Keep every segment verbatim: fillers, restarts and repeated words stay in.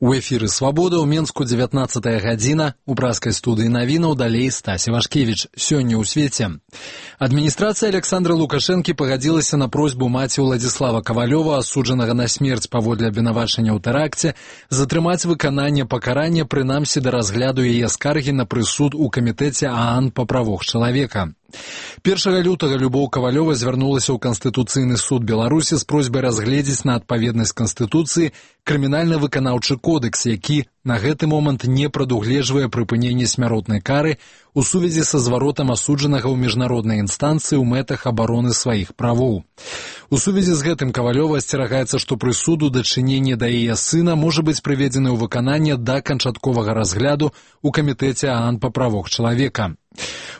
У эфіры «Свабода» ў Менску дзевятнаццатая гадзіна. У праскай студыі навінаў далей Стась Івашкевіч. Сёння ў свеце. Адміністрацыя Александра Лукашэнкі пагадзілася на просьбу маці Уладзіслава Кавалёва, асуджанага на смерць паводле абвінавачання ў тэракце, затрымаць выкананне пакарання, прынамсі да разгляду яе скаргі на прысуд у камітэце ААН па правах чалавека. першага лютага Любоў Кавалёва звярнулася ў Канстытуцыйны суд Беларусі з просьбай разгледзець на адпаведнасць Канстытуцыі крымінальна-выканаўчы кодэкс, які на гэты момант не прадугледжвае прыпыненне смяротнай кары у сувязі са зваротам асуджанага ў міжнароднай інстанцыі ў мэтах абароны сваіх правоў. У сувязі з гэтым Кавалёва асцерагаецца, што прысуд у дачыненні да яе сына можа быць прыведзены ў выкананне да канчатковага разгляду ў камітэце ААН па правах чалавека.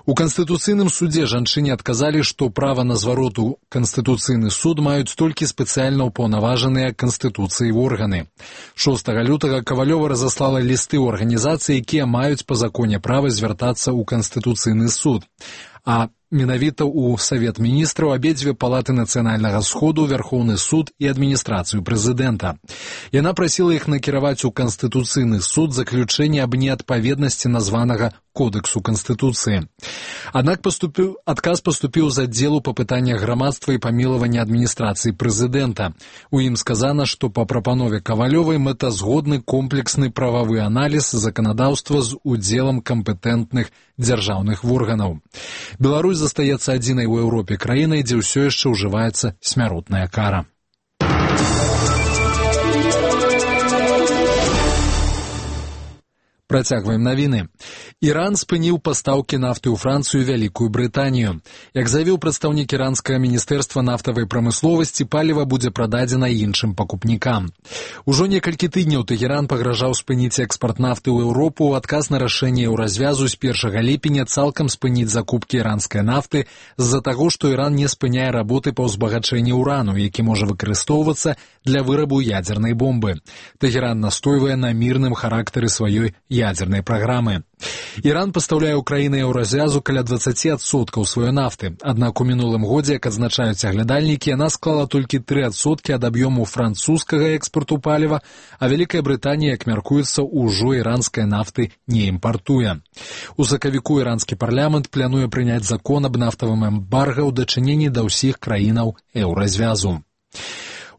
У Канстытуцыйным судзе жанчыне адказалі, што права на зварот у Канстытуцыйны суд маюць толькі спецыяльна ўпаўнаважаныя Канстытуцыяй органы. шостага лютага Кавалёва разаслала лісты ў арганізацыі, якія маюць па законе права звяртацца ў Канстытуцыйны суд. А менавіта ў Савет міністраў, абедзве палаты нацыянальнага сходу, Вярхоўны суд і адміністрацыю прэзідэнта. Яна прасіла іх накіраваць у Канстытуцыйны суд заключэнне аб неадпаведнасці названага Кодексу Канстытуцыі. Аднак паступіў, адказ паступіў з аддзелу па пытаннях грамадства і памілавання адміністрацыі прэзідэнта. У ім сказана, што па прапанове Кавалёвай мэтазгодны комплексны прававы аналіз заканадаўства з удзелам кампетэнтных дзяржаўных органаў. Беларусь застаецца адзінай у Еўропе краінай, дзе ўсё яшчэ ўжываецца смяротная кара. Працягваем навіны. Іран спыніў пастаўкі нафты ў Францыю і Вялікую Брытанію. Як заявіў прадстаўнік іранскага міністэрства нафтавай прамысловасці, паліва будзе прададзена іншым пакупнікам. Ужо некалькі тыдняў Тэгеран пагражаў спыніць экспарт нафты ў Еўропу ў адказ на рашэнне Еўразвязу з першага ліпеня цалкам спыніць закупкі іранскай нафты з-за таго, што Іран не спыняе работы па ўзбагачэнні ўрану, які можа выкарыстоўвацца для вырабу ядзернай бомбы. Тэгеран настойвае на мірным характары сваёй ядзернай праграмы. Іран пастаўляе ў краіны Еўразвязу каля дваццаць адсоткаў сваёй нафты, аднак у мінулым годзе, як адзначаюць аглядальнікі, яна склала толькі тры адсоткі ад аб'ёму французскага экспарту паліва, а Вялікая Брытанія, як мяркуецца, ужо іранскай нафты не імпартуе. У сакавіку іранскі парламент плануе прыняць закон аб нафтавым эмбарга ў дачыненні да ўсіх краінаў Еўразвязу.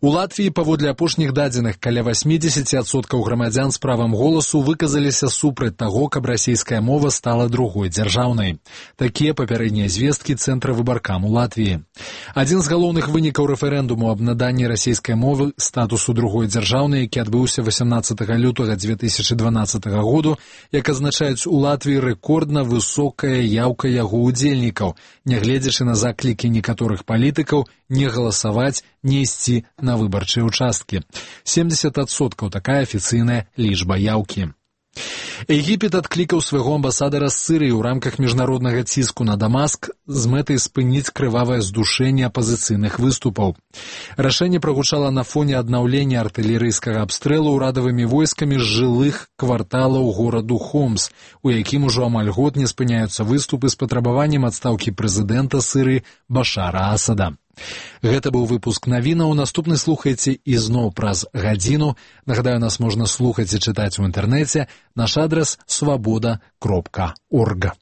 У Латвіі, паводле апошніх дадзеных, каля васьмідзесят адсоткаў грамадзян з правам голасу выказаліся супраць таго, каб расійская мова стала другой дзяржаўнай. Такія папярэднія звесткі Цэнтра выбаркам у Латвіі. Адзін з галоўных вынікаў рэферэндуму аб наданні расійскай мовы статусу другой дзяржаўнай, які адбыўся васямнаццатага лютага дзве тысячы дванаццатага году, як азначаюць у Латвіі рэкордна высокая яўка яго ўдзельнікаў, нягледзячы на заклікі некаторых палітыкаў не галасаваць, не ісці на выбарчыя участкі. семьдесят адсоткаў такая афіцыйная лічба яўкі. Егіпет адклікаў свайго амбасадара з Сірыі ў рамках міжнароднага ціску на Дамаск з мэтай спыніць крывавае здушэнне апазіцыйных выступаў. Рашэнне прагучала на фоне аднаўлення артылерыйскага абстрэлу ўрадавымі войскамі з жылых кварталаў гораду Хомс, у якім ужо амаль год не спыняюцца выступы з патрабаваннем адстаўкі прэзідэнта Сірыі Башара Асада. Гэта быў выпуск навінаў. Наступны слухайце ізноў праз гадзіну. Нагадаю, нас можна слухаць і чытаць у інтэрнэце. Наш адрас свабода кропка орг.